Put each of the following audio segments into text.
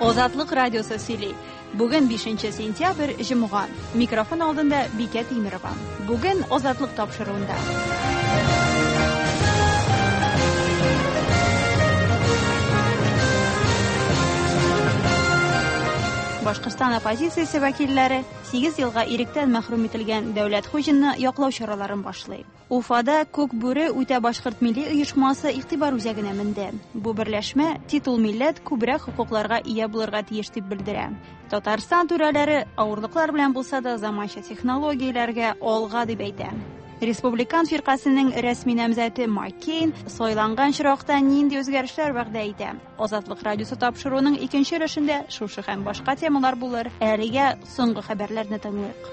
Азатлык радиосы сөйли. Бүген 5 сентябрь, җомга. Микрофон алдында Бикә Тимерова. Бүген Азатлык тапшыруында. Башкортстан оппозициясе вәкилләре 8 елга иректән мәхрүм ителгән Дәүләт Хуҗинны яклау чараларын башлый. Уфада Күк бүре үтә башкорт милли оешмасы игътибар үзәгенә менде. Бу берләшмә титул милләт күбрәк хокукларга ия булырга тиеш дип белдерә. Татарстан түрәләре авырлыклар белән булса да заманча технологияләргә алга дип әйтә. Республикан фиркасенең рәсми намзәте Майк Кейн сайланган очракта нинди үзгәрешләр вәгъдә итә? Азатлык радиосы тапшыруының икенче өлешендә шушы һәм башка темалар булыр. Әлегә соңгы хәбәрләрне тыңлыйк.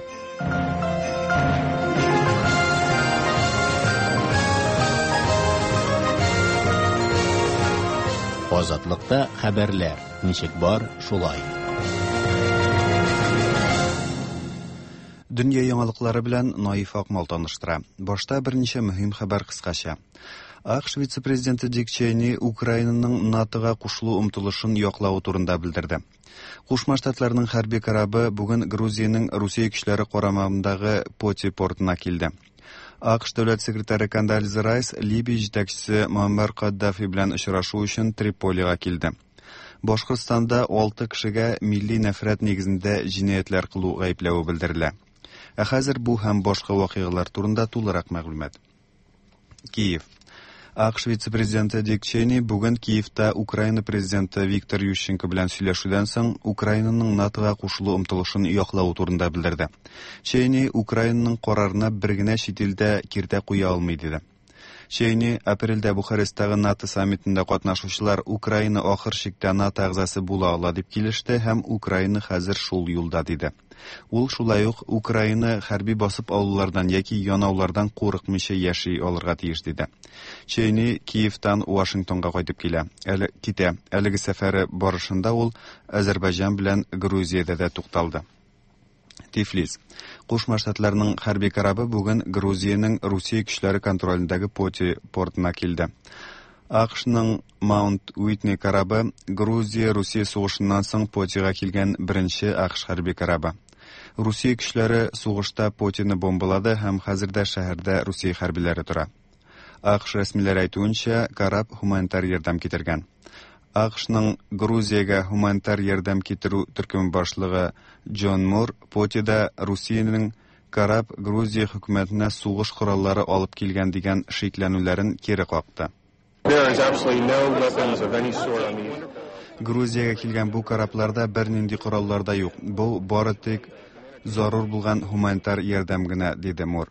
Азатлыкта хәбәрләр ничек бар, шулай. Дөнья яңалыклары белән Наиф Акмал таныштыра. Башта берничә мөһим хәбәр кыскача. АКШ вице-президенты Дик Чейни Украинаның НАТОга кушылу омтылышын яклавы турында белдерде. Кушма Штатларның хәрби корабы бүген Грузиянең Русия көчләре карамагындагы Поти портына килде. АКШ дәүләт секретаре Кондолиза Райс Либия җитәкчесе Муаммар Каддафи белән очрашу өчен Триполига килде. Башкортстанда 6 кешегә милли нәфрәт нигезендә җинаятьләр кылу гаепләве белдерелә. Ә хәзер бу һәм башка вакыйгалар турында тулырак мәгълүмат. Киев. АКШ вице-президенты Дик Чейни бүген Киевта Украина президенты Виктор Ющенко белән сөйләшүдән соң Украинаның НАТОга кушылу омтылышын яклавы турында белдерде. Чейни Украинаның карарына бер генә чит ил дә киртә куя алмый диде. Чейни апрельдә Бухаресттагы НАТО саммитында катнашучылар Украина ахыр чиктә НАТО әгъзасы була ала дип килеште һәм Украина хәзер шул юлда диде. Ул шулай ук Украина хәрби басып алулардан яки янаулардан курыкмыйча яши алырга тиеш диде. Чейни Киевтан Вашингтонга кайтып килә. Әле китә. Әлеге сәфәре барышында ул Азәрбайҗан белән Грузиядә дә тукталды. Тифлис. Кушма Штатларның хәрби корабы бүген Грузиянең Русия көчләре контролендәге Поти портына килде. АКШның Маунт Уитни корабы Грузия-Русия сугышыннан соң Потига килгән беренче АКШ хәрби корабы. Русия көчләре сугышта Потины бомбалады һәм хәзер дә шәһәрдә Русия хәрбиләре тора. АКШ рәсмиләре әйтүенчә, кораб һуманитар ярдәм китергән. АКШның Грузиягә һуманитар ярдәм китерү төркеме башлыгы Джон Мур Потида Русиянең кораб Грузия хөкүмәтенә сугыш кораллары алып килгән дигән шикләнүләрен кире какты. Грузиягә килгән бу корабларда бернинди кораллар да юк. Бу бары тик зарур булган һуманитар ярдәм генә, диде Мур.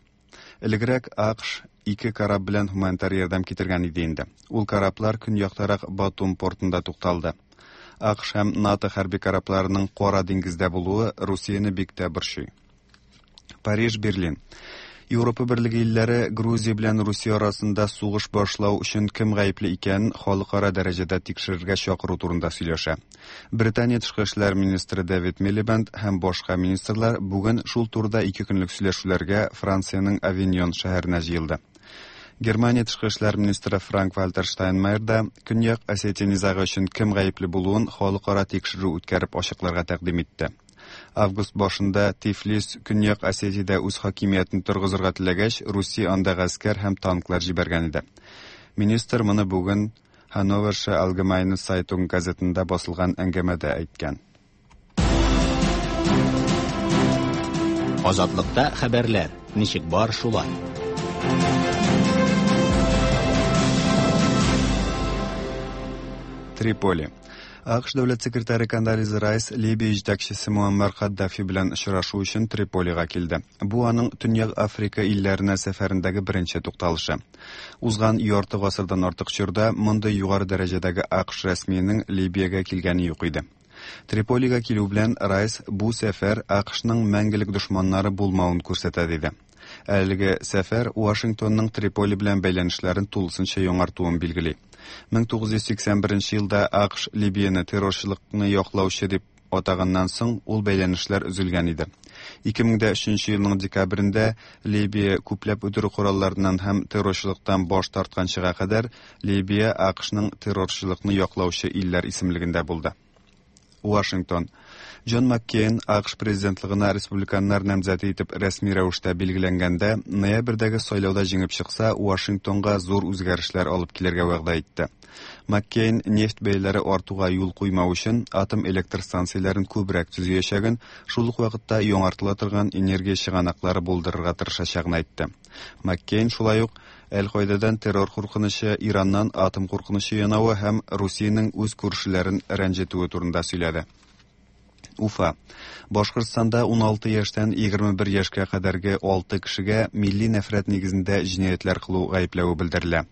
Элегрәк АКШ ике кораб белән һуманитар ярдәм китергән иде инде. Ул кораблар көньяктарак Батум портында тукталды. АКШ һәм НАТО хәрби корабларының Кара диңгездә булуы Русияне бик тә борчый. Париж, Берлин. Европа берлеге илләре Грузия белән Русия арасында сугыш башлау өчен кем гаепле икәнен халыкара дәрәҗәдә тикшерергә чакыру турында сөйләшә. Британия тышкы эшләр министры Дэвид Милибенд һәм башка министрлар бүген шул турыда ике көнлек сөйләшүләргә Франциянең Авиньон шәһәренә җыелды. Германия тышкы эшләр министры Франк-Вальтер Штайнмайер да Көньяк Осетия низагы өчен кем гаепле булуын халыкара тикшерү үткәреп ачыкларга тәкъдим итте. Август башында Тифлис Көньяк Осетиядә үз хакимиятен торгызырга теләгәч, Русия анда гаскәр һәм танклар җибәргән иде. Министр моны бүген Hannoversche Allgemeine Zeitung газетында басылган әңгәмәдә әйткән. Азатлыкта хәбәрләр ничек бар шулай. Триполи. АКШ дәүләт секретаре Кондолиза Райс Либия җитәкчесе Муаммар Каддафи белән очрашу өчен Триполига килде. Бу аның Төньяк Африка илләренә сәфәрендәге беренче тукталышы. Узган ярты гасырдан артык чорда мондый югары дәрәҗәдәге АКШ рәсмиенең Либиягә килгәне юк иде. Триполига килү белән Райс бу сәфәр АКШның мәңгелек дошманнары булмавын күрсәтә диде. Әлеге сәфәр Вашингтонның Триполи белән бәйләнешләрен тулысынча яңартуын билгели. 1981 елда АКШ Либияне террорчылыкны яклаучы дип атаганнан соң ул бәйләнешләр өзелгән иде. 2003 елның декабрендә Либия күпләп үтерү коралларыннан һәм террорчылыктан баш тартканчыга кадәр Либия АКШның террорчылыкны яклаучы илләр исемлегендә булды. Вашингтон. Джон Маккейн АКШ президентлыгына республиканнар намзәте итеп рәсми рәвештә билгеләнгәндә, ноябрьдәге сайлауда җиңеп чыкса, Вашингтонга зур үзгәрешләр алып килергә вәгъдә итте. Маккейн нефть бәяләре артуга юл куймау өчен атом электр станцияләрен күбрәк төзиячәген, шул ук вакытта яңартыла торган энергия чыганаклары булдырырга тырышачагын әйтте. Маккейн шулай ук Әл-Каидадан террор куркынычы, Ираннан атом куркынычы янавы һәм Русиянең үз күршеләрен рәнҗетүе турында сөйләде. Уфа. Башкортстанда 16 яшьтән 21 яшькә кадәрге 6 кешегә милли нәфрәт нигезендә җинаятьләр кылу гаепләве белдерелә.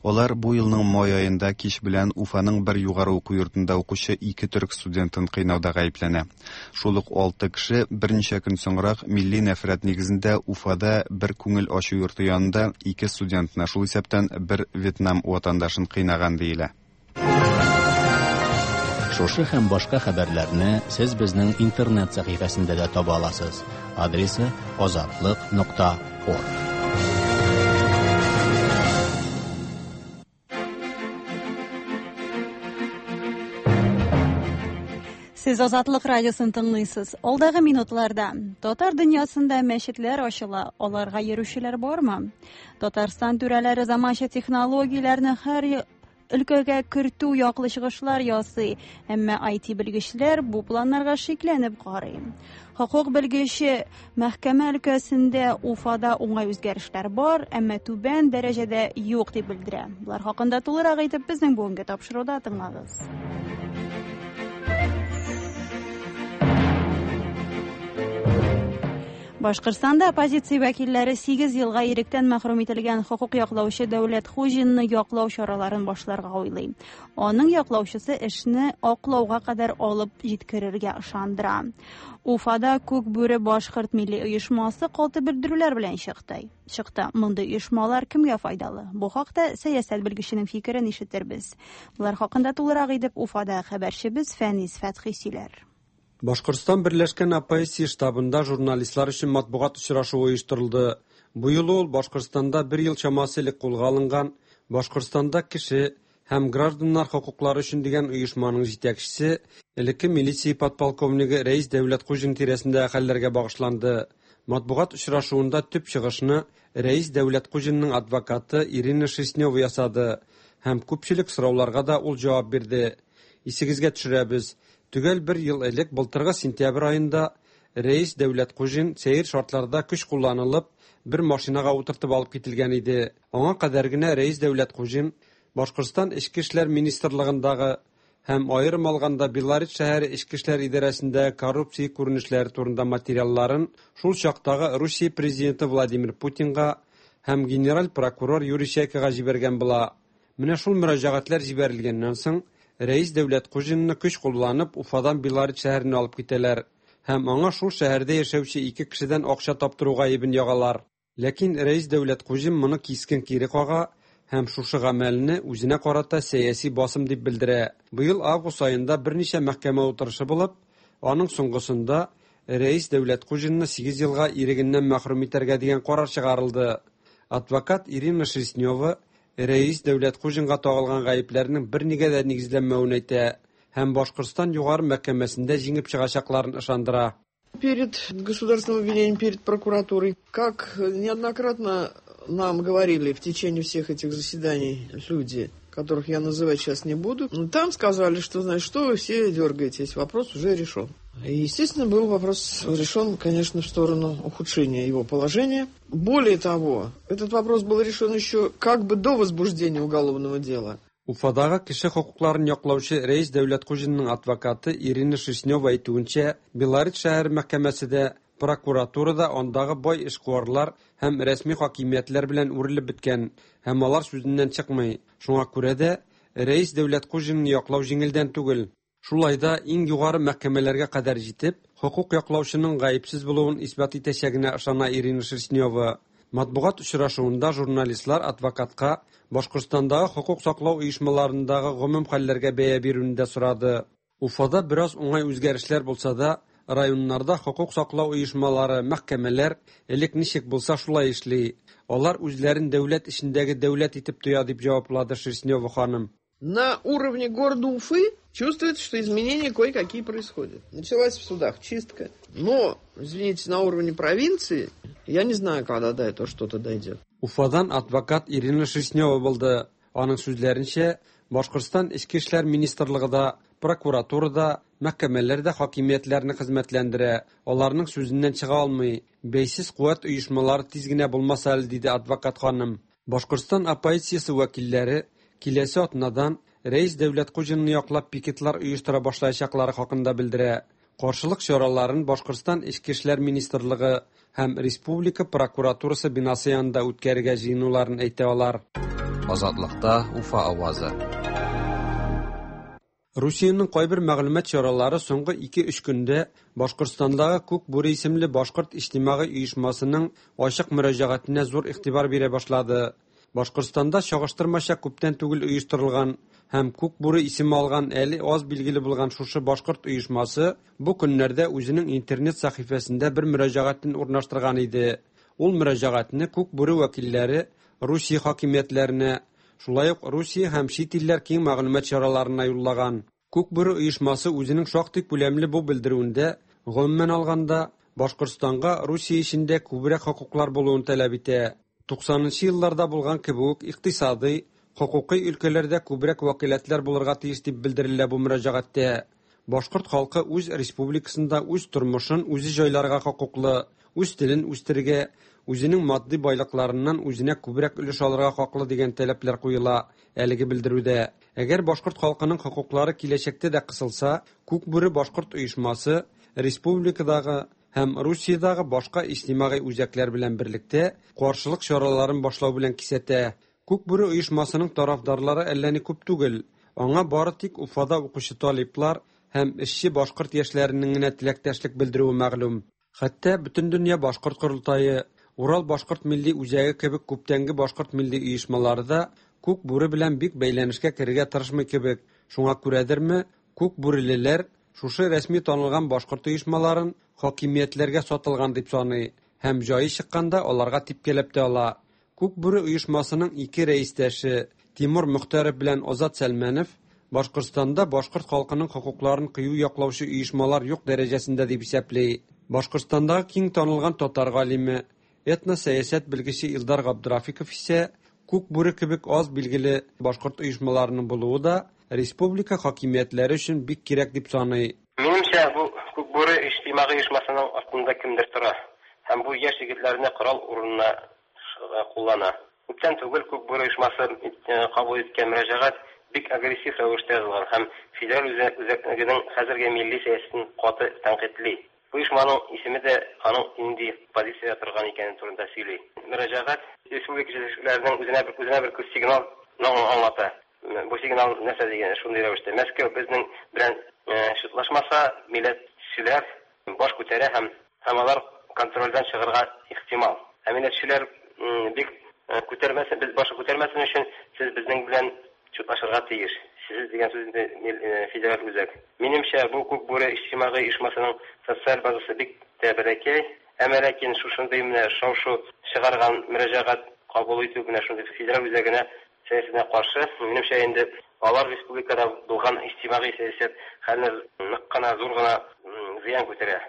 Алар бу елның май аенда кич белән Уфаның бер югары уку йортында укучы ике төрек студентын кыйнауда гаепләнә. Шул ук 6 кеше берничә көн соңрак милли нәфрәт нигезендә Уфада бер күңел ачу йорты янында ике студентны, шул исәптән бер Вьетнам ватандашын кыйнаган диелә. Шушы һәм башка хәбәрләрне сез безнең интернет сәхифәсендә дә таба аласыз. Адресы azatliq.org. Сез Азатлык радиосын тыңлыйсыз. Алдагы минутларда татар дөньясында мәчетләр ачыла, аларга йөрүчеләр бармы? Татарстан түрәләре заманча технологияләрне һәр өлкәгә кертү яклы чыгышлар ясый, әмма IT белгечләр бу планнарга шикләнеп карый. Хокук белгече мәхкәмә өлкәсендә Уфада уңай үзгәрешләр бар, әмма түбән дәрәҗәдә юк дип белдерә. Булар хакында тулырак итеп безнең бүгенге тапшыруда тыңлагыз. Башкортстанда оппозиция вәкилләре 8 елга иректән мәхрүм ителгән хокук яклаучы Дәүләт Хуҗинны яклау чараларын башларга уйлый. Аның яклаучысы эшне аклауга кадәр алып җиткерергә ышандыра. Уфада Күк бүре башкорт милли оешмасы каты белдерүләр белән чыкты. Мондый оешмалар кемгә файдалы? Бу хакта сәясәт белгеченең фикерен ишетербез. Булар хакында тулырак итеп Уфада хәбәрчебез Фәнис Фәтхи сөйләр. Башкортстан Берләшкән оппозиция штабында журналистлар өчен матбугат очрашуы оештырылды. Бу юлы ул Башкортстанда бер ел чамасы элек кулга алынган Башкортстанда кеше һәм гражданнар хокуклары өчен дигән оешманың җитәкчесе, элекке милиция подполковнигы Рәис Дәүләткуҗин тирәсендә хәлләргә багышланды. Матбугат очрашуында төп чыгышны Рәис Дәүләткуҗинның адвокаты Ирина Шерстнева ясады һәм күпчелек сорауларга да ул җавап бирде. Исегезгә төшерәбез. Төгәл бер ел элек былтыргы сентябрь аенда Рәис Дәүләткуҗин сәер шартларда көч кулланылып бер машинага утыртып алып кителгән иде. Аңа кадәр генә Рәис Дәүләткуҗин Башкортстан Эчке эшләр министрлыгындагы һәм аерым алганда Белорет шәһәре Эчке эшләр идарәсендә коррупция күренешләре турында материалларын шул чактагы Русия президенты Владимир Путинга һәм генераль прокурор Юрий Чайкага җибәргән була. Менә шул мөрәҗәгатьләр җибәрелгәннән соң Рәис Дәүләткуҗинны көч кулланып Уфадан Белорет шәһәренә алып китәләр һәм аңа шул шәһәрдә яшәүче ике кешедән акча таптыру гаебен ягалар. Ләкин Рәис Дәүләткуҗин моны кискен кире кага һәм шушы гамәлне үзенә карата сәяси басым дип белдерә. Быел август аенда берничә мәхкәмә утырышы булып, аның соңгысында Рәис Дәүләткуҗинны 8 елга ирегеннән мәхрүм итәргә дигән карар чыгарылды. Адвокат Ирина Шерстнева Рәис Дәүләткуҗинга тагылган гаепләрнең бернигә дә нигезләнмәвен әйтә һәм Башкортстан югары мәхкәмәсендә җиңеп чыгачакларын ышандыра. Перед государственным обвинением, перед прокуратурой, как неоднократно нам говорили в течение всех этих заседаний люди, которых я называть сейчас не буду, там сказали, что, значит, что вы все дергаетесь, вопрос уже решен. И, естественно, был вопрос решен, конечно, в сторону ухудшения его положения. Более того, этот вопрос был решен еще как бы до возбуждения уголовного дела. Уфадагы кеше хокукларын яклаучы Рәис Дәүләткуҗинның адвокаты Ирина Шерстнева әйтүенчә, Белорет шәһәре мәхкәмәсе дә, прокуратура да андагы бай эшкуарлар һәм рәсми хакимиятләр белән үрелеп беткән һәм алар сүзеннән чыкмый. Шуңа күрә дә Рәис Дәүләткуҗинны яклау җиңелдән түгел. Шулай да иң югары мәхкәмәләргә кадәр җитеп, хокук яклаучының гаепсез булуын исбат итәчәгенә ышана Ирина Шерстнева. Матбугат очрашуында журналистлар адвокатка Башкортстандагы хокук саклау оешмаларындагы гомум хәлләргә бәя бирүне дә сорады. Уфада бераз уңай үзгәрешләр булса да, районнарда хокук саклау оешмалары, мәхкәмәләр элек ничек булса шулай эшли. Алар үзләрен дәүләт эчендәге дәүләт итеп тоя, дип җаваплады Шерстнева ханым. На уровне города Уфы Чувствуется, что изменения кое-какие происходят. Началась в судах чистка. Но, извините, на уровне провинции, я не знаю, когда до этого что-то дойдет. Уфадан адвокат Ирина Шерстнева булды. Аның сүзләренчә, Башкортстан Эчке эшләр министрлыгы да, прокуратура да, мәхкәмәләр дә хакимиятләрне хезмәтләндерә, аларның сүзеннән чыга алмый. Бәйсез куәт оешмалары тиз генә булмас әле, диде адвокат ханым. Башкортстан оппозициясе вәкилләре киләсе атнадан Рәис Дәүләткуҗинны яклап пикетлар оештыра башлаячаклары хакында белдерә. Каршылык чараларын Башкортстан Эчке эшләр министрлыгы һәм республика прокуратурасы бинасы янында үткәрергә җыенуларын әйтә алар. Азатлыкта Уфа авазы. Русиянең кайбер мәгълүмат чаралары соңгы 2-3 көндә Башкортстандагы Күк бүре исемле башкорт иҗтимагый оешмасының ачык мөрәҗәгатенә зур игътибар бирә башлады. Башкортстанда чагыштырмача күптән түгел оештырылган һәм Күк бүре исеме алган әле аз билгеле булган шушы башкорт оешмасы бу көннәрдә үзенең интернет сәхифәсендә бер мөрәҗәгатен урнаштырган иде. Ул мөрәҗәгатьне Күк бүре вәкилләре Русия хакимиятләренә, шулай ук Русия һәм чит илләр киң мәгълүмат чараларына юллаган. Күк бүре оешмасы үзенең шактый күләмле бу белдерүендә, гомумән алганда, Башкортстанга Русия эчендә күбрәк хокуклар булуын таләп итә. 90 елларда булган кебек үк икътисадый, хокукый өлкәләрдә күбрәк вәкаләтләр булырга тиеш дип белдерелә бу мөрәҗәгатьтә. Башкорт халкы үз республикасында үз тормышын үзе җайларга хокуклы, үз телен үстерергә, үзенең матди байлыкларыннан үзенә күбрәк өлеш алырга хаклы дигән таләпләр куела әлеге белдерүдә. Әгәр башкорт халкының хокуклары киләчәктә дә кысылса, Күк бүре башкорт оешмасы республикадагы һәм Русиядәге башка иҗтимагый үзәкләр белән берлектә каршылык чараларын башлау белән кисәтә. Күк бүре оешмасының тарафдарлары әллә ни күп түгел. Аңа бары тик Уфада укучы талиплар һәм эшче башкорт яшьләренең генә теләктәшлек белдерүе мәгълүм. Хәтта Бөтендөнья башкорт корылтае, Урал башкорт милли үзәге кебек күптәнге башкорт милли оешмалары да Күк бүре белән бик бәйләнешкә керергә тырышмый кебек. Шуңа күрәдерме, Күк бүрелеләр шушы рәсми танылган башкорт оешмаларын хакимиятләргә сатылган дип саный һәм җае чыкканда аларга типкәләп тә ала. Күк бүре оешмасының ике рәистәше Тимур Мөхтәров белән Азат Сәлмәнов Башкортстанда башкорт халкының хокукларын кыю яклаучы оешмалар юк дәрәҗәсендә дип исәпли. Башкортстандагы киң танылган татар галиме, этносәясәт белгече Илдар Габдрафиков исә Күк бүре кебек аз билгеле башкорт оешмаларының булуы да республика хакимиятләре өчен бик кирәк дип саный. Минемчә, бу Күк бүре иҗтимагый оешмасының артында кемдер тора һәм бу яшь егетләрне корал урынына куллана. Күптән түгел Күк бүре оешмасы кабул иткән мөрәҗәгать бик агрессив рәвештә язылган һәм федераль үзәкнең хәзерге милли сәясәтен каты тәнкыйтьли. Бу оешманың исеме дә аның нинди позициядә торган икәне турында сөйли. Мөрәҗәгать республика җитәкчеләренең үзенә бер үзенә бер сигнал аңлата. Бу сигнал нәрсә дигән шундый рәвештә. Мәскәү безнең белән шутлашмаса, милләтчеләр баш күтәрә һәм һәм алар контрольдән чыгарга ихтимал. Ә милләтчеләр бик күтәрмәсен, без башы күтәрмәсен өчен сез безнең белән шутлашырга тиеш. Сез дигән сүз инде федераль үзәк. Минемчә, бу Күк бүре иҗтимагый оешмасының социаль базасы бик тә бәләкәй. Әмма ләкин шушындый менә шау-шу чыгарган мөрәҗәгать кабул итү менә шундый федераль үзәгенә сәясәтенә каршы. Минемчә инде алар республикада булган иҗтимагый сәясәт хәленә нык кына зур гына зыян күтәрә.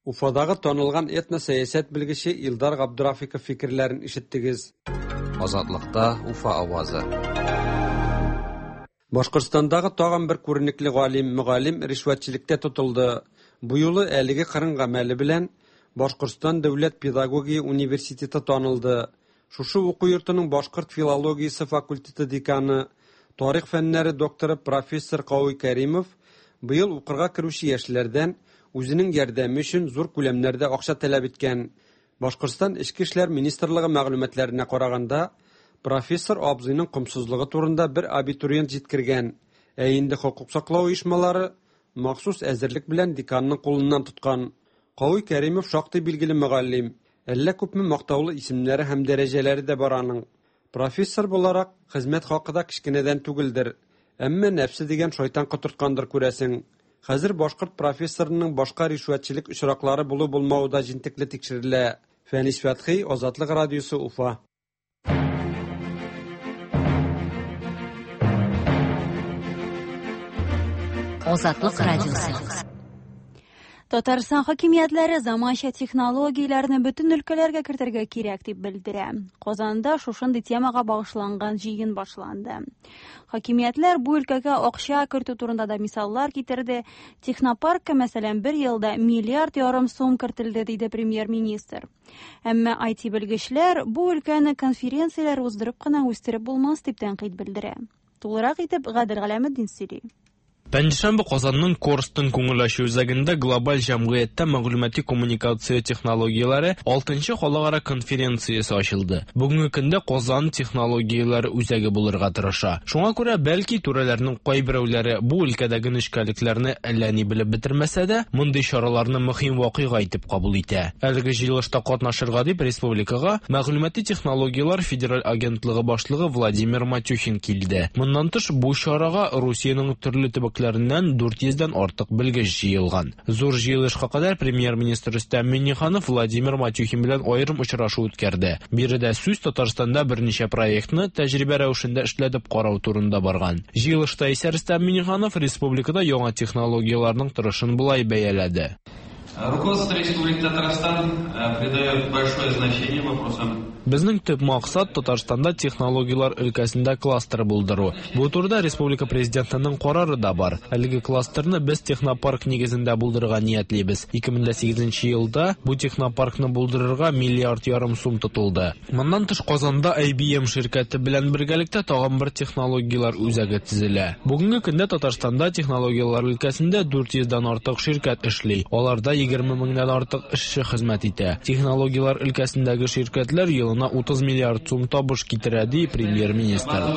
Уфадагы танылган этносәясәт белгече Илдар Габдрафиков фикерләрен ишеттегез. Азатлыкта Уфа авазы. Башкортстандагы тагын бер күренекле галим, мөгаллим ришвәтчелектә тотылды. Бу юлы әлеге кырын гамәле белән Башкортстан дәүләт педагогия университеты танылды. Шушы уку йортының башкорт филологиясе факультеты деканы, тарих фәннәре докторы профессор Кауи Кәримов быел укырга керүче яшьләрдән үзенең ярдәме өчен зур күләмнәрдә акча таләп иткән. Башкортстан Эчке эшләр министрлыгы мәгълүматларына караганда, профессор абзыйның комсызлыгы турында бер абитуриент җиткергән. Ә инде хокук саклау оешмалары махсус әзерлек белән деканның кулыннан тоткан. Кауи Кәримов шактый билгеле мөгаллим. Әллә күпме мактаулы исемнәре һәм дәрәҗәләре дә бар аның. Профессор буларак хезмәт хакы да кечкенәдән түгелдер. Әмма нәфсе дигән шайтан котырткандыр күрәсең. Хәзер башкорт профессорының башка ришвәтчелек очраклары булу-булмавы да җентекле тикшерелә. Фәнис Фәтхи, Азатлык радиосы, Уфа. Азатлык радиосы. Татарстан хакимиятләре заманча технологияләрне бөтен өлкәләргә кертергә кирәк дип белдерә. Казанда шушындый темага багышланган җыен башланды. Хакимиятләр бу өлкәгә акча кертү турында да мисаллар китерде. Технопаркка, мәсәлән, бер елда миллиард ярым сум кертелде, диде премьер-министр. Әмма IT белгечләр бу өлкәне конференцияләр уздырып кына үстереп булмас дип тәнкыйть белдерә. Тулырак итеп Гадел Галәметдин сөйли. Пәнҗешәмбе Казанның Корстон күңел ачу үзәгендә глобаль җәмгыятьтә мәгълүмати коммуникация технологияләре 6нчы халыкара конференциясе ачылды. Бүгенге көндә Казан технологияләр үзәге булырга тырыша. Шуңа күрә бәлки түрәләрнең кайберәүләре бу өлкәдәге нечкәлекләрне әллә ни белеп бетермәсә дә, мондый чараларны мөһим вакыйга итеп кабул итә. Әлеге җыелышта катнашырга дип республикага Мәгълүмати технологияләр федераль агентлыгы башлыгы Владимир Матюхин килде. Моннан тыш бу чарага Русиянең төрле төбәкләреннән 400дән артык белгеч җыелган. Зур җыелышка кадәр премьер-министр Рөстәм Миңнеханов Владимир Матюхин белән аерым очрашу үткәрде. Биредә сүз Татарстанда берничә проектны тәҗрибә рәвешендә эшләтеп карау турында барган. Җыелышта исә Рөстәм Миңнеханов республикада яңа технологияләрнең торышын болай бәяләде. Руководство Республики Татарстан придает большое значение вопросам. Безнең төп максат Татарстанда технологияләр өлкәсендә кластер булдыру. Бу турыда республика президентының карары да бар. Әлеге кластерны без технопарк нигезендә булдырырга ниятлибез. 2008 елда бу технопаркны булдырырга миллиард ярым сум тотылды. Моннан тыш Казанда IBM ширкәте белән бергәлектә тагын бер технологияләр үзәге төзелә. Бүгенге көндә Татарстанда технологияләр өлкәсендә 400дән артык ширкәт эшли. Аларда 20 меңнән артык эшче хезмәт итә. Технологияләр өлкәсендәге ширкәтләр елына 30 миллиард сум табыш китерә, ди премьер-министр.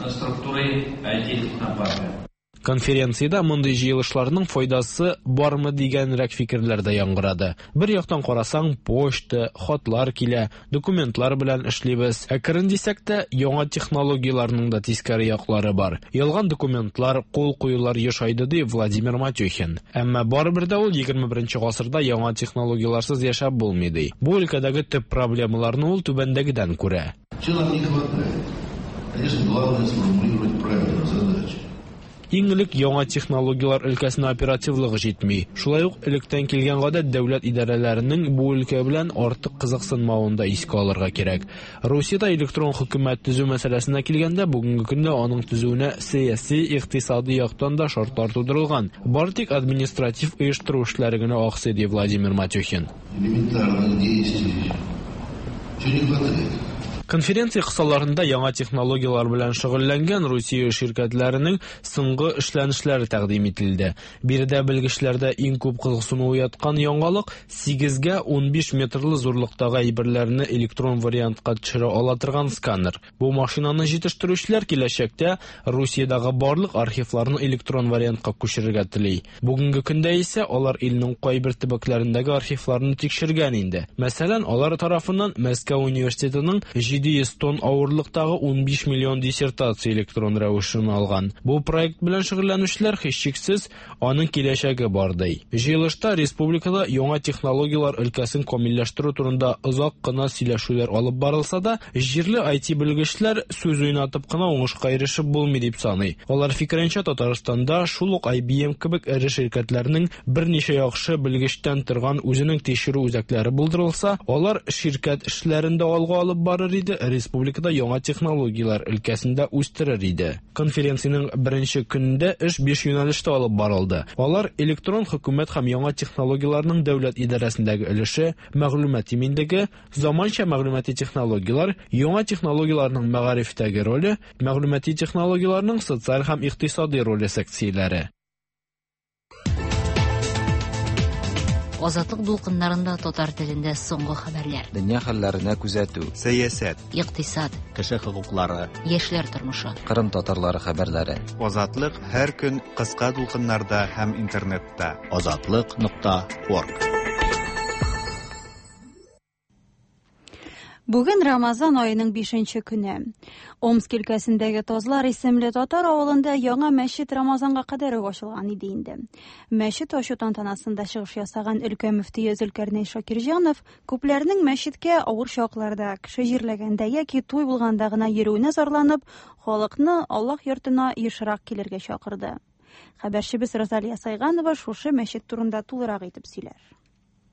Структурой IT-технопарка. Конференциядә мондый җыелышларның файдасы бармы дигәнрәк фикерләр дә яңгырады. Бер яктан карасаң, почта, хатлар килә, документлар белән эшлибез. Әкрен дисәк тә, яңа технологияләрнең дә тискәре яклары бар. Ялган документлар, кул куюлар ешайды, ди Владимир Матюхин. Әмма барыбер дә ул 21 гасырда яңа технологияләрсез яшәп булмый, ди. Бу өлкәдәге төп проблемаларны ул түбәндәгедән күрә. Чего нам не хватает? Конечно, главное сформулировать правильно задачи. Иң элек яңа технологияләр өлкәсенә оперативлыгы җитми. Шулай ук электән килгән гадәт дәүләт идарәләренең бу өлкә белән артык кызыксынмавын да искә алырга кирәк. Русиядә электрон хөкүмәт төзү мәсьәләсенә килгәндә, бүгенге көндә аның төзүенә сәяси, икътисади яктан да шартлар тудырылган. Бары тик административ оештыру эшләре генә аксый, ди Владимир Матюхин. Элементарных действий. Чего не хватает? Конференция кысаларында яңа технологияләр белән шөгыльләнгән Русия ширкәтләренең соңгы эшләнешләре тәкъдим ителде. Биредә белгечләрдә иң күп кызыксыну уяткан яңалык 8гә 15 метрлы зурлыктагы әйберләрне электрон вариантка төшерә ала торган сканер. Бу машинаны җитештерүчеләр киләчәктә Русиядәге барлык архивларны электрон вариантка күчерергә тели. Бүгенге көндә исә алар илнең кайбер төбәкләрендәге архивларны тикшергән инде. Мәсәлән, алар тарафыннан Мәскәү университетының 700 тонн авырлыктагы 15 миллион диссертация электрон рәвешен алган. Бу проект белән шөгыльләнүчеләр һичшиксез аның киләчәге бар ди. Җыелышта республикада яңа технологияләр өлкәсен камилләштерү турында озак кына сөйләшүләр алып барылса да, җирле IT белгечләр сүз уйнатып кына уңышка ирешеп булмый дип саный. Алар фикеренчә, Татарстанда шул ук IBM кебек эре ширкәтләрнең берничә яхшы белгечтән торган үзенең тикшерү үзәкләре булдырылса, алар ширкәт эшләрен дә алга алып барыр иде, республикада яңа технологияләр өлкәсендә үстерер иде. Конференциянең беренче көнендә эш 5 юнәлештә алып барылды. Алар электрон хөкүмәт һәм яңа технологияләрнең дәүләт идарәсендәге өлеше, мәгълүмат иминлеге, заманча мәгълүмати технологияләр, яңа технологияләрнең мәгарифтәге роле, мәгълүмати технологияләрнең социаль һәм икътисади роле секцияләре. Азатлык дулкыннарында татар телендә соңгы хәбәрләр. Дөнья хәлләренә күзәтү. Сәясәт, Икътисад, Кеше хокуклары, яшьләр тормышы. Кырым татарлары хәбәрләре. Азатлык һәр көн кыска дулкыннарда һәм интернетта. Азатлык.орг. Бүген Рамазан аеның 5нче көне. Омск өлкәсендәге Тазлар исемле татар авылында яңа мәчет Рамазанга кадәр үк ачылган иде инде. Мәчет ачу тантанасында чыгыш ясаган өлкә мөфтие Зөлкәрнәй Шакирҗанов күпләрнең мәчеткә авыр чакларда, кеше җирләгәндә яки туй булганда гына йөрүенә зарланып, халыкны Аллаһ йортына ешрак килергә чакырды. Хәбәрчебез Розалия Сайганова шушы мәчет турында тулырак итеп сөйләр.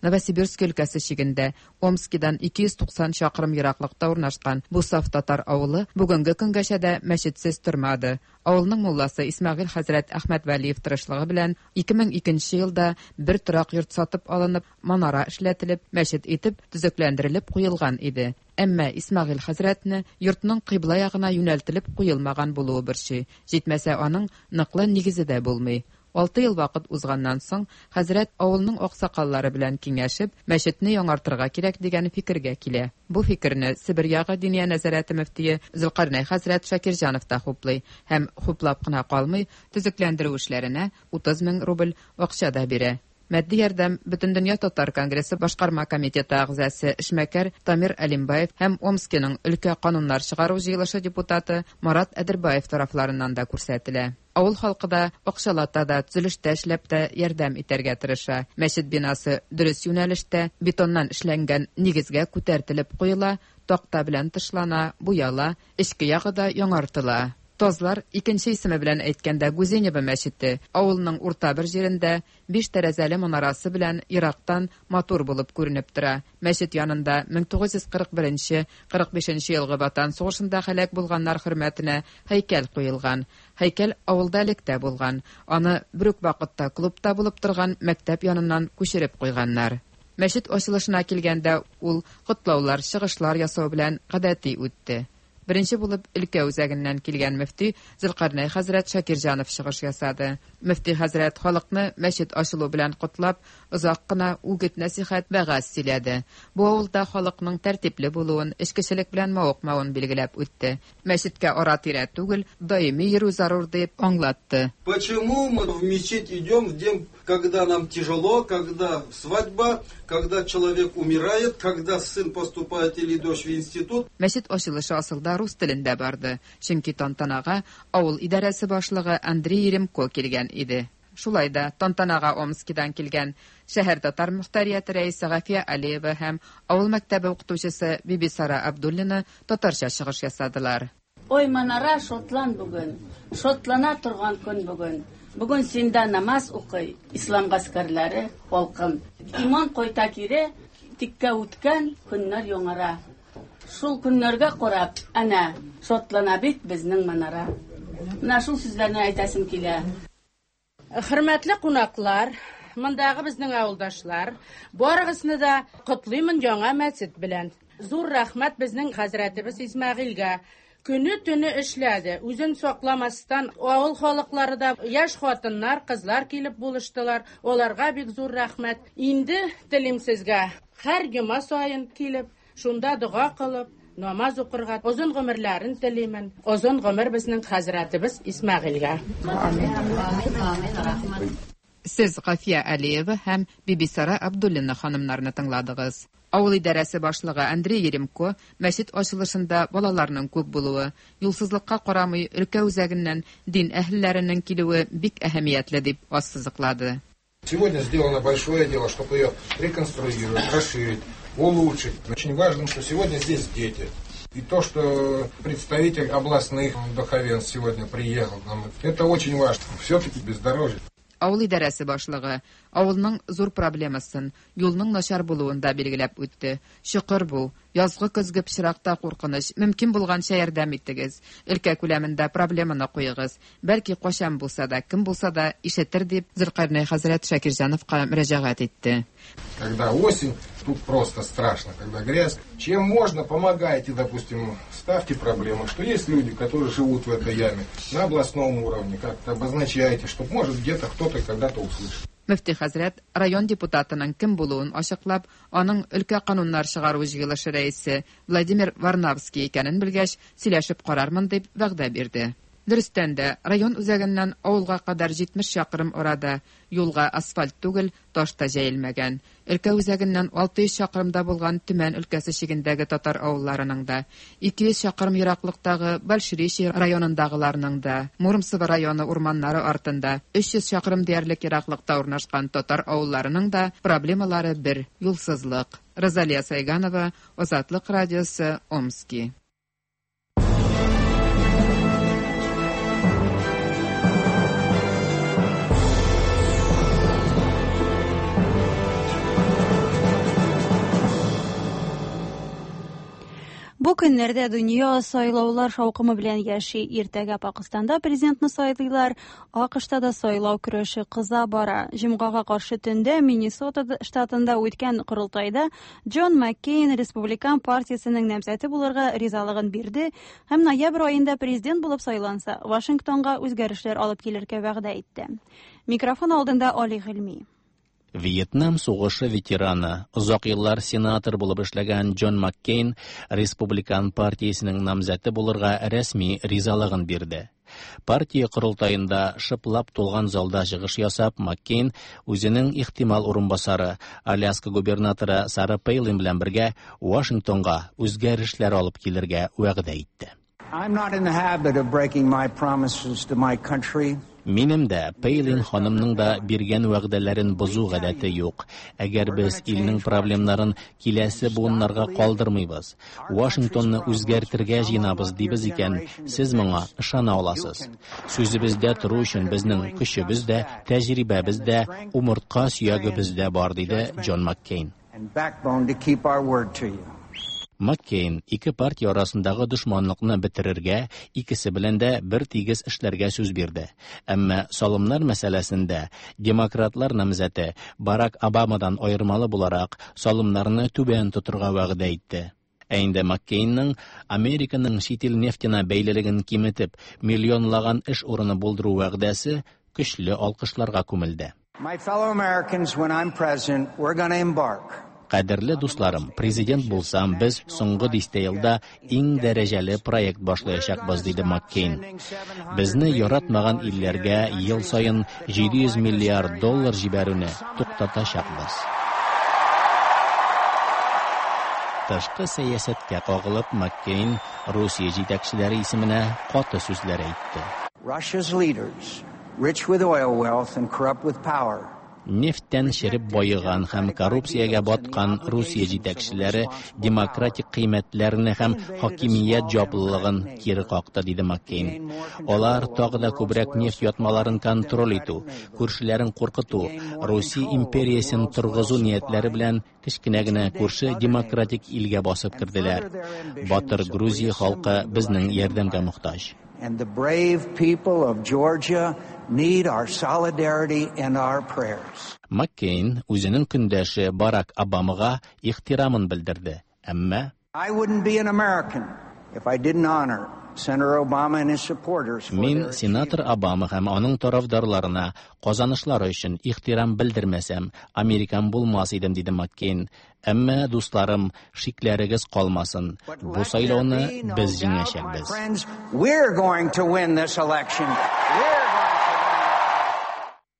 Новосибирск өлкәсе чигендә Омскидан 290 чакрым ераклыкта урнашкан бу саф татар авылы бүгенге көнгәчә дә мәчетсез тормады. Авылның мулласы Исмәгыйль хәзрәт Әхмәтвәлиев тырышлыгы белән 2002 елда бер торак йорт сатып алынып, манара эшләтелеп, мәчет итеп төзекләндерелеп куелган иде. Әмма Исмәгыйль хәзрәтне йортның кыйбла ягына юнәлтелеп куелмаган булуы борчый. Җитмәсә, аның ныклы нигезе дә булмый. Алты ел вакыт узганнан соң, хәзрәт авылның аксакаллары белән киңәшеп, мәчетне яңартырга кирәк дигән фикергә килә. Бу фикерне Себер ягы Диния нәзарәте мөфтие Зөлкарнәй хәзрәт Шакирҗанов та хуплый һәм хуплап кына калмый, төзекләндерү эшләренә 30 мең рубль акча да бирә. Матди ярдәм Бөтендөнья татар конгрессы башкарма комитеты әгъзасы эшмәкәр Тамир Әлимбаев һәм Омскиның өлкә кануннар чыгару җыелышы депутаты Марат Әдербаев тарафларыннан да күрсәтелә. Авыл халкы да акчалата да, төзелештә эшләп тә ярдәм итәргә тырыша. Мәчет бинасы дөрес юнәлештә, бетоннан эшләнгән нигезгә күтәртелеп куела, такта белән тышлана, буяла, эчке ягы да яңартыла. Тазлар, икенче исеме белән әйткәндә Гузенево мәчете, авылның урта бер җирендә биш тәрәзәле манарасы белән ерактан матур булып күренеп тора. Мәчет янында 1941-45 елгы Ватан сугышында һәлак булганнар хөрмәтенә һәйкәл куелган. Һәйкәл авылда элек тә булган. Аны бер үк вакытта клубта булып торган мәктәп яныннан күчереп куйганнар. Мәчет ачылышына килгәндә ул котлаулар, чыгышлар ясау белән гадәти үтте. Беренче булып өлкә үзәгеннән килгән мөфти Зөлкарнәй хәзрәт Шакирҗанов чыгыш ясады. Мөфти хәзрәт халыкны мәчет ачылу белән котлап, озак кына үгет-нәсихәт, вәгазь сөйләде. Бу авылда халыкның тәртипле булуын, эчкечелек белән мавыкмавын билгеләп үтте. Мәчеткә ара-тирә түгел, даими йөрү зарур дип аңлатты. Почему мы в мечеть идем в день, когда нам тяжело, когда свадьба, когда человек умирает, когда сын поступает или дочь в институт? Мәчет ачылышы асылда рус телендә барды, чөнки тантанага авыл идарәсе башлыгы Андрей Еремко килгән иде. Шулай да тантанага Омскидан килгән шәһәр татар мохтарияте рәисе Гафия Алиева һәм авыл мәктәбе укытучысы Бибисара Абдуллина татарча чыгыш ясадылар. Ой, манара, шотлан бүген, шотлана торган көн бүген. Бүген синдә намаз укый ислам гаскәрләре, халкым. Иман кайта кире, тиккә үткән көннәр яңара. Шул көннәргә карап, әнә, шатлана бит безнең манара. Менә шул сүзләрне әйтәсем килә. Хөрмәтле кунаклар, мондагы безнең авылдашлар, барыгызны да котлыймын яңа мәчет белән. Зур рәхмәт безнең хәзрәтебез Исмәгыйльгә. Көне-төне эшләде, үзен сакламастан авыл халыклары да, яшь хатыннар, кызлар килеп булыштылар. Аларга бик зур рәхмәт. Инде телим сезгә, һәр йома саен килеп, шунда дога кылып, намаз укырга озын гомерләрен телимен. Озын гомер безнең хәзрәтебез Исмәгыйльгә. Сез Гафия Алиева һәм Бибисара Абдуллина ханымнарны тыңладыгыз. Авыл идарәсе башлыгы Андрей Еремко мәчет ачылышында балаларның күп булуы, юлсызлыкка карамый өлкә үзәгеннән дин әһелләренең килүе бик әһәмиятле дип ассызыклады. Сегодня сделано большое дело, чтобы ее реконструировать, расширить, улучшить. Очень важно, что сегодня здесь дети. И то, что представитель областных духовенств сегодня приехал, нам, это очень важно. Все-таки бездорожье. Авыл идарәсе башлыгы авылның зур проблемасын, юлның начар булуын да билгеләп үтте. Чокыр бу, язгы көзге пычракта куркыныч, мөмкин булганча ярдәм итегез. Өлкә күләмендә проблеманы куегыз. Бәлки кайчан булса да, кем булса да ишетер дип Зөлкарнәй хәзрәт Шакирҗановка мөрәҗәгать итте. Когда осень, тут просто страшно, когда грязь. Чем можно, помогайте, допустим, ставьте проблемы, что есть люди, которые живут в этой яме на областном уровне, как-то обозначайте, чтобы, может, где-то кто-то когда-то услышал. Мөфти хәзрәт район депутатының кем булуын ачыклап, аның өлкә кануннар чыгару җыелышы рәисе Владимир Варнавский икәнен белгәч, сөйләшеп карармын дип вәгъдә бирде. Дөрестән дә, район үзәгеннән авылга кадәр 70 чакрым арада юлга асфальт түгел, таш та җәелмәгән. Өлкә үзәгеннән 600 чакрымда булган Төмән өлкәсе чигендәге татар авылларының да, 200 чакрым ераклыктагы Большеречье районындагыларның да, Муромцево районы урманнары артында 300 чакрым диярлек ераклыкта урнашкан татар авылларының да проблемалары бер юлсызлык. Розалия Сайганова, Азатлык радиосы, Омски. көннәрдә дөнья сайлаулар шаукымы белән яши. Иртәгә Пакыстанда президентны сайлыйлар, АКШта да сайлау көрәше кыза бара. Җомгага каршы төндә Миннесота штатында үткән корылтайда Джон Маккейн Республикан партиясенең намзәте булырга ризалыгын бирде һәм ноябрь аенда президент булып сайланса, Вашингтонга үзгәрешләр алып килергә вәгъдә итте. Микрофон алдында Али Гыйльми. Вьетнам сугышы ветераны, озак еллар сенатор булып эшләгән Джон Маккейн Республикан партиясенең намзәте булырга рәсми ризалыгын бирде. Партия корылтаенда шыплап тулган залда чыгыш ясап, Маккейн үзенең ихтимал урынбасары, Аляска губернаторы Сара Пейлин белән бергә Вашингтонга үзгәрешләр алып килергә вәгъдә итте. I'm not in the habit of breaking my promises to my country. Минем дә, Пейлин ханымның да биргән вәгъдәләрен бозу гадәте юк. Әгәр без илнең проблемнарын киләсе буыннарга калдырмыйбыз, Вашингтонны үзгәртергә җыенабыз дибез икән, сез моңа ышана аласыз. Сүзебездә тору өчен безнең көчебез дә, тәҗрибәбез дә, умыртка сөягебез дә бар, диде Джон Маккейн. And backbone to keep our word to you. Маккейн ике партия арасындагы дошманлыкны бетерергә, икесе белән дә бер тигез эшләргә сүз бирде. Әмма салымнар мәсьәләсендә демократлар намзәте Барак Обамадан аермалы буларак салымнарны түбән тотырга вәгъдә итте. Ә инде Маккейнның Американың чит ил нефтенә бәйлелеген киметеп, миллионлаган эш урыны булдыру вәгъдәсе көчле алкышларга күмелде. My fellow Americans, when I'm president, we're going to embark Кадерле дусларым, президент булсам, без соңгы дистә елда иң дәрәҗәле проект башлаячакбыз, диде Маккейн. Безне яратмаган илләргә ел саен 700 миллиард доллар җибәрүне туктатачакбыз. Тышкы сәясәткә кагылып, Маккейн Русия җитәкчеләре исеменә каты сүзләр әйтте. Russia's leaders, rich with oil wealth and corrupt with power, Нефтьтән череп баеган һәм коррупциягә баткан Русия җитәкчеләре демократик кыйммәтләрне һәм хакимият җаваплылыгын кире какты, диде Маккейн. Алар тагы да күбрәк нефть ятмаларын контроль итү, күршеләрен куркыту, Русия империясен торгызу ниятләре белән кечкенә генә күрше демократик илгә басып керделәр. Батыр Грузия халкы безнең ярдәмгә мохтаҗ. And the brave people of Georgia need our solidarity and our prayers. Маккейн үзенең көндәше Барак Обамага ихтирамын белдерде, әмма I wouldn't be an American if I didn't honor Senator Obama and his supporters for Мин their сенатор Обама һәм аның тарафдарларына казанышлары өчен ихтирам белдермәсәм, американ булмас идем, диде Маккейн. Әмма, дусларым, шикләрегез калмасын. Бу сайлауны без җиңәчәкбез. Friends, we're going to win this election.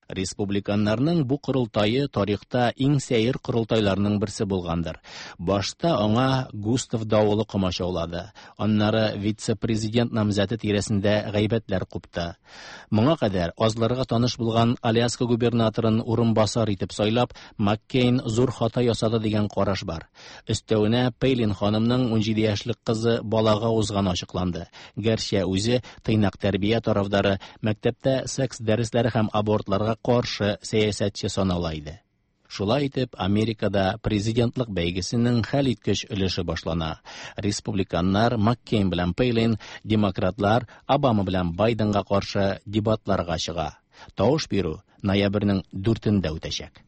Республиканнарның бу корылтае тарихта иң сәер корылтайларның берсе булгандыр. Башта аңа Густав давылы комачаулады. Аннары вице-президент намзәте тирәсендә гайбәтләр купты. Моңа кадәр азларга таныш булган Аляска губернаторын урынбасар итеп сайлап, Маккейн зур хата ясады дигән караш бар. Өстәвенә Пейлин ханымның 17 яшьлек кызы балага узганы ачыкланды. Гәрчә үзе тыйнак тәрбия тарафдары, мәктәптә секс дәресләре һәм абортларга каршы сәясәтче санала иде. Шулай итеп, Америкада президентлык бәйгесенең хәлиткеч өлеше башлана. Республиканнар Маккейн белән Пейлин, демократлар Обама белән Байденга каршы дебатларга чыга. Тавыш бирү ноябрьнең 4-ндә үтәчәк.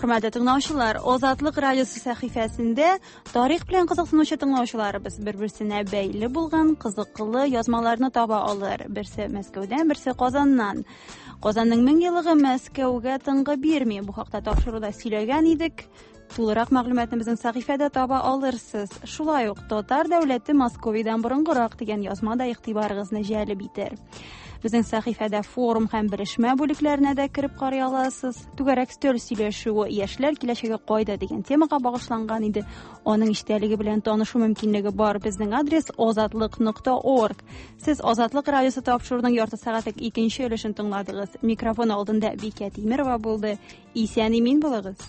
Хөрмәтле тыңлаучылар, Азатлык радиосы сәхифәсендә тарих белән кызыксынучы тыңлаучыларыбыз бер-берсенә бәйле булган кызыклы язмаларны таба алыр. Берсе Мәскәүдән, берсе Казаннан. Казанның 1000 еллыгы Мәскәүгә тынгы бирми. Бу хакта тапшыруда сөйләгән идек. Тулырак мәгълүматны безнең сәхифәдә таба алырсыз. Шулай ук Татар дәүләте Московиядән борынгырак дигән язма да игътибарыгызны җәлеп итәр. Безнең сәхифәдә форум һәм белешмә бүлекләренә дә кереп карый аласыз. Түгәрәк өстәл сөйләшүе яшьләр киләчәге кайда дигән темага багышланган иде. Аның эчтәлеге белән танышу мөмкинлеге бар. Безнең адрес азатлык нокта орг. Сез Азатлык радиосы тапшыруының ярты сәгатьлек икенче өлешен тыңладыгыз. Микрофон алдында Бикә Тимирова булды. Исән имин булыгыз.